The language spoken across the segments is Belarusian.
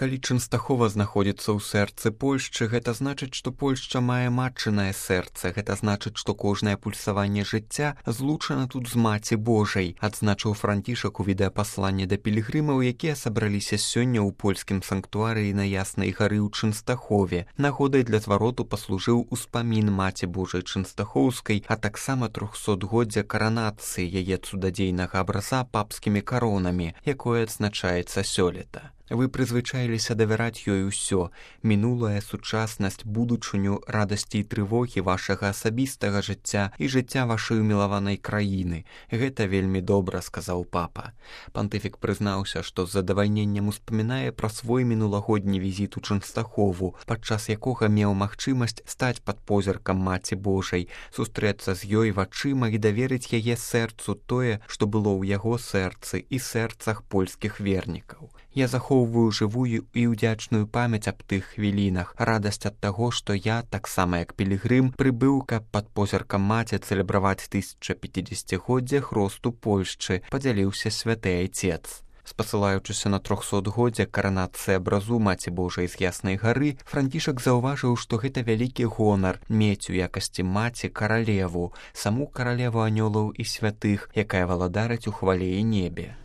Калі Чэнстахова знаходзіцца ў сэрцы Польшчы, гэта значыць, што Польшча мае матчынае сэрца. Гэта значыць, што кожнае пульсаванне жыцця злучана тут з Маці Божай, адзначыў Францішак у відэапасланні да пілігрымаў, якія сабраліся сёння ў польскім санктуарыі на Яснай гары ў Чэнстахове. Нагодай для звароту паслужыў успамін Маці Божай Чэнстахоўскай, а таксама 300годдзя каранацыі яе цудадзейнага абраза папскімі каронамі, якое адзначаецца сёлета. Вы прызвычаіліся давяраць ёй усё, мінулае, сучаснасць, будучыню, радасці і трывогі вашага асабістага жыцця і жыцця вашай умілаванай краіны. Гэта вельмі добра, сказаў папа. Пантыфік прызнаўся, што з задавальненнем успамінае пра свой мінулагодні візіт у Чэнстахову, падчас якога меў магчымасць стаць пад позіркам Маці Божай, сустрэцца з ёй вачыма і даверыць яе сэрцу тое, што было ў яго сэрцы і сэрцах польскіх вернікаў. Я захоўваю жывую і ўдзячную памяць аб тых хвілінах, радасць ад таго, што я, таксама як пілігрым, прыбыў, каб пад позіркам маці цэлебраваць 1050годдзе хросту Польшчы, падзяліўся святы айцец. Спасылаючыся на 300годдзе каранацыі абразу Маці Божай з Яснай гары, Францішак заўважыў, што гэта вялікі гонар мець у якасці маці каралеву, саму каралеву анёлаў і святых, якая валадарыць у хвале і небе.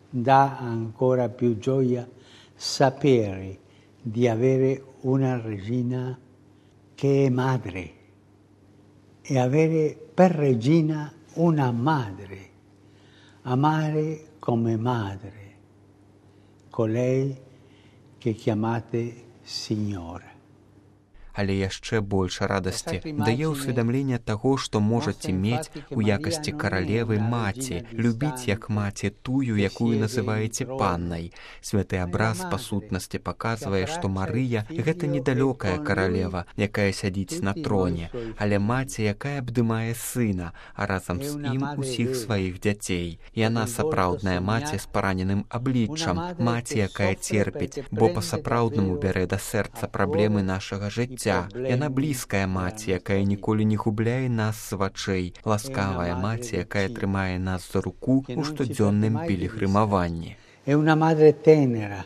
Dà ancora più gioia sapere di avere una regina che è madre e avere per regina una madre, amare come madre colei che chiamate Signora. Але яшчэ больш радасці дае ўсведамленне таго, што можаце мець у якасці каралевы маці, любіць як маці тую, якую называеце паннай. Святы абраз па сутнасці паказвае, што Марыя – гэта недалёкая каралева, якая сядзіць на троне, але маці, якая абдымае сына, а разам з ім усіх сваіх дзяцей. Яна сапраўдная маці з параненым абліччам, маці, якая церпіць, бо па-сапраўднаму бярэ да сэрца праблемы нашага жыцця. Яна блізкая маці, якая ніколі не губляе нас з вачэй, ласкавая маці, якая трымае нас за руку ў штодзённым пілігрымаванні. È una madre tenera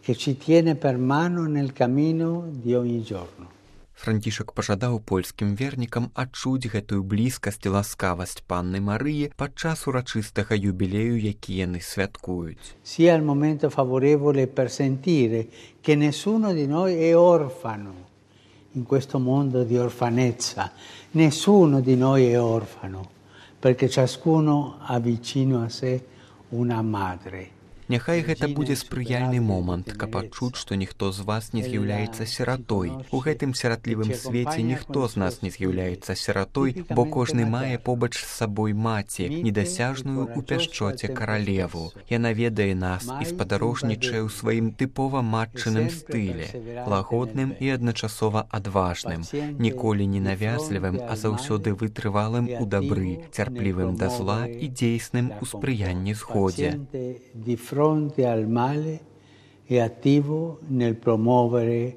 che ci tiene per mano nel cammino di ogni giorno. Францішак пажадаў польскім вернікам адчуць гэтую блізкасць і ласкавасць панны Марыі падчас урачыстага юбілею, які яны святкуюць. Sia il momento favorevole per sentire che nessuno di noi è orfano in questo mondo di orfanezza. Nessuno di noi è orfano, perché ciascuno ha vicino a sé una madre. Няхай гэта будзе спрыяльны момант, каб адчуць, што ніхто з вас не з'яўляецца сіратой. У гэтым сіратлівым свеце ніхто з нас не з'яўляецца сіратой, бо кожны мае побач з сабой маці, недасяжную ў пяшчоце каралеву. Яна ведае нас і спадарожнічае ў сваім тыпова матчыным стылі, лагодным і адначасова адважным, ніколі не навязлівым, а заўсёды вытрывалым у дабры, цярплівым да зла і дзейсным у спрыянні згодзе. Fronte al male e attivo nel promuovere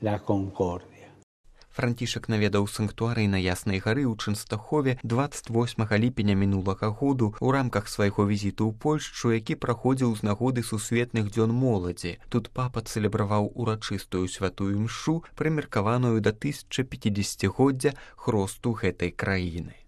la concordia. Францішак наведаў санктуарый на Яснай гары ў Чэнстахове 28 ліпеня мінулага году ў рамках свайго візіту ў Польшчу, які праходзіў з нагоды сусветных дзён моладзі. Тут папа цэлебраваў урачыстую святую імшу, прымеркаваную да 1050годдзя хросту гэтай краіны.